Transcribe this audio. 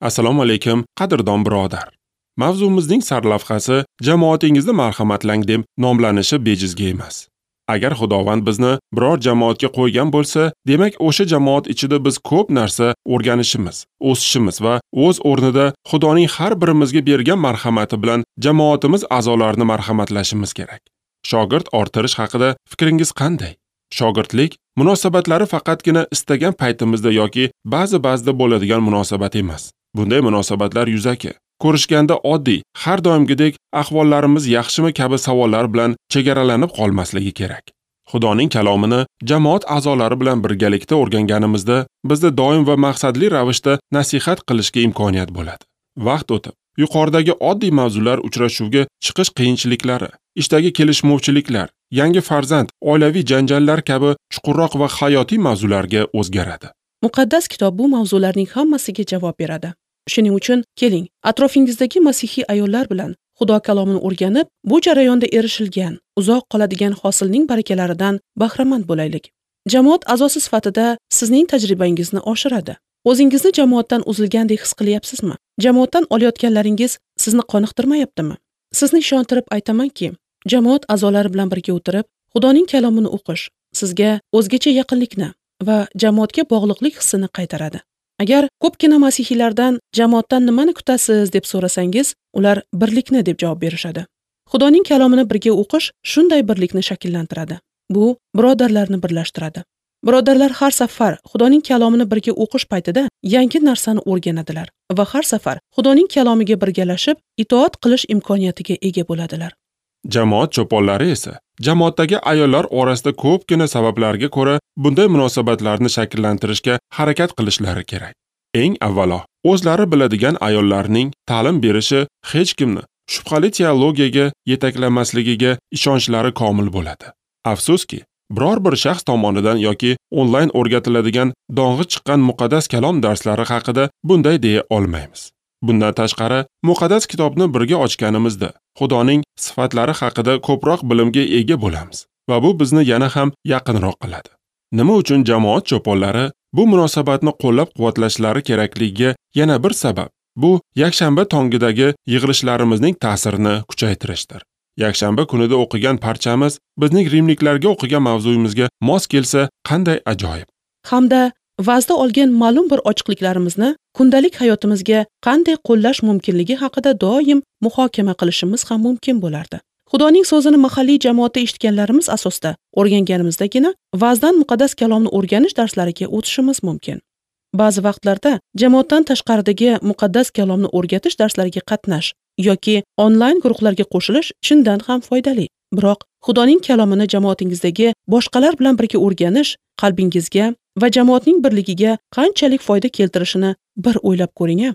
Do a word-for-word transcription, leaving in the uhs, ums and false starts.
Assalomu alaykum, qadrdon birodar. Mavzumizning sarlavhasi jamoatingizni marhamatlang deb nomlanishi bejizga emas. Agar Xudovand bizni biror jamoatga qo'ygan bo'lsa, demak o'sha jamoat ichida biz ko'p narsa o'rganishimiz, o'sishimiz va o'z o'rnida Xudoning har birimizga bergan marhamati bilan jamoatimiz a'zolarini marhamatlashimiz kerak. Shogird orttirish haqida fikringiz qanday? Shogirdlik munosabatlari faqatgina istagan paytimizda yoki ba'zi-ba'zida bo'ladigan munosabat emas. Bunday munosabatlar yuzaki, ko'rishganda oddiy, har doimgidek ahvollarimiz yaxshimi kabi savollar bilan chegaralanib qolmasligi kerak. Xudoning kalomini jamoat a'zolari bilan birgalikda o'rganganimizda bizda doim va maqsadli ravishda nasihat qilishga imkoniyat bo'ladi. Vaqt o'tib, yuqoridagi oddiy mavzular uchrashuvga chiqish qiyinchiliklari, ishdagi kelishmovchiliklar, yangi farzand, oilaviy janjallar kabi chuqurroq va hayotiy mavzularga o'zgaradi. Muqaddas kitob bu mavzularning hammasiga javob beradi. Shuning uchun keling, atrofingizdagi masihiy ayollar bilan Xudo kalomini o'rganib, bu jarayonda erishilgan, uzoq qoladigan hosilning barakalaridan bahramand bo'laylik. Jamoat a'zosi sifatida sizning tajribangizni oshiradi. O'zingizni jamoatdan uzilgandek his qilyapsizmi? Jamoatdan olayotganlaringiz sizni qoniqtirmayaptimi? Sizni ishontirib aytamanki, jamoat a'zolari bilan birga o'tirib, Xudoning kalomini o'qish sizga o'zgacha yaqinlikni va jamoatga bog'liqlik hissini qaytaradi. Agar ko'pgina masihiylardan jamoatdan nimani kutasiz deb so'rasangiz, ular birlikni deb javob berishadi. Xudoning kalomini birga o'qish shunday birlikni shakllantiradi. Bu birodarlarni birlashtiradi. Birodarlar har safar Xudoning kalomini birga o'qish paytida yangi narsani o'rganadilar va har safar Xudoning kalomiga birgalashib itoat qilish imkoniyatiga ega bo'ladilar. Jamoat cho'ponlari esa jamoatdagi ayollar orasida ko'pgina sabablarga ko'ra bunday munosabatlarni shakllantirishga harakat qilishlari kerak. Eng avvalo, o'zlari biladigan ayollarning ta'lim berishi hech kimni shubhali teologiyaga yetaklamasligiga ishonchlari komil bo'ladi. Afsuski, biror bir shaxs tomonidan yoki onlayn o'rgatiladigan dong'i chiqqan muqaddas kalom darslari haqida bunday deya olmaymiz. Bundan tashqari, muqaddas kitobni birga ochganimizda Xudoning sifatlari haqida ko'proq bilimga ega bo'lamiz va bu bizni yana ham yaqinroq qiladi. Nima uchun jamoat cho'ponlari bu munosabatni qo'llab-quvvatlashlari kerakligiga yana bir sabab bu yakshanba tongidagi yig'ilishlarimizning ta'sirini kuchaytirishdir. Yakshanba kunida o'qigan parchamiz bizning rimliklarga o'qigan mavzuyimizga mos kelsa qanday ajoyib. Hamda va'zda olgan ma'lum bir ochiqliklarimizni kundalik hayotimizga qanday qo'llash mumkinligi haqida doim muhokama qilishimiz ham mumkin bo'lardi. Xudoning so'zini mahalliy jamoatda eshitganlarimiz asosida o'rganganimizdagina va'zdan muqaddas kalomni o'rganish darslariga o'tishimiz mumkin. Ba'zi vaqtlarda jamoatdan tashqaridagi muqaddas kalomni o'rgatish darslariga qatnash yoki onlayn guruhlarga qo'shilish chindan ham foydali. Biroq Xudoning kalomini jamoatingizdagi boshqalar bilan birga o'rganish qalbingizga va jamoatning birligiga qanchalik foyda keltirishini bir o'ylab ko'ring-a.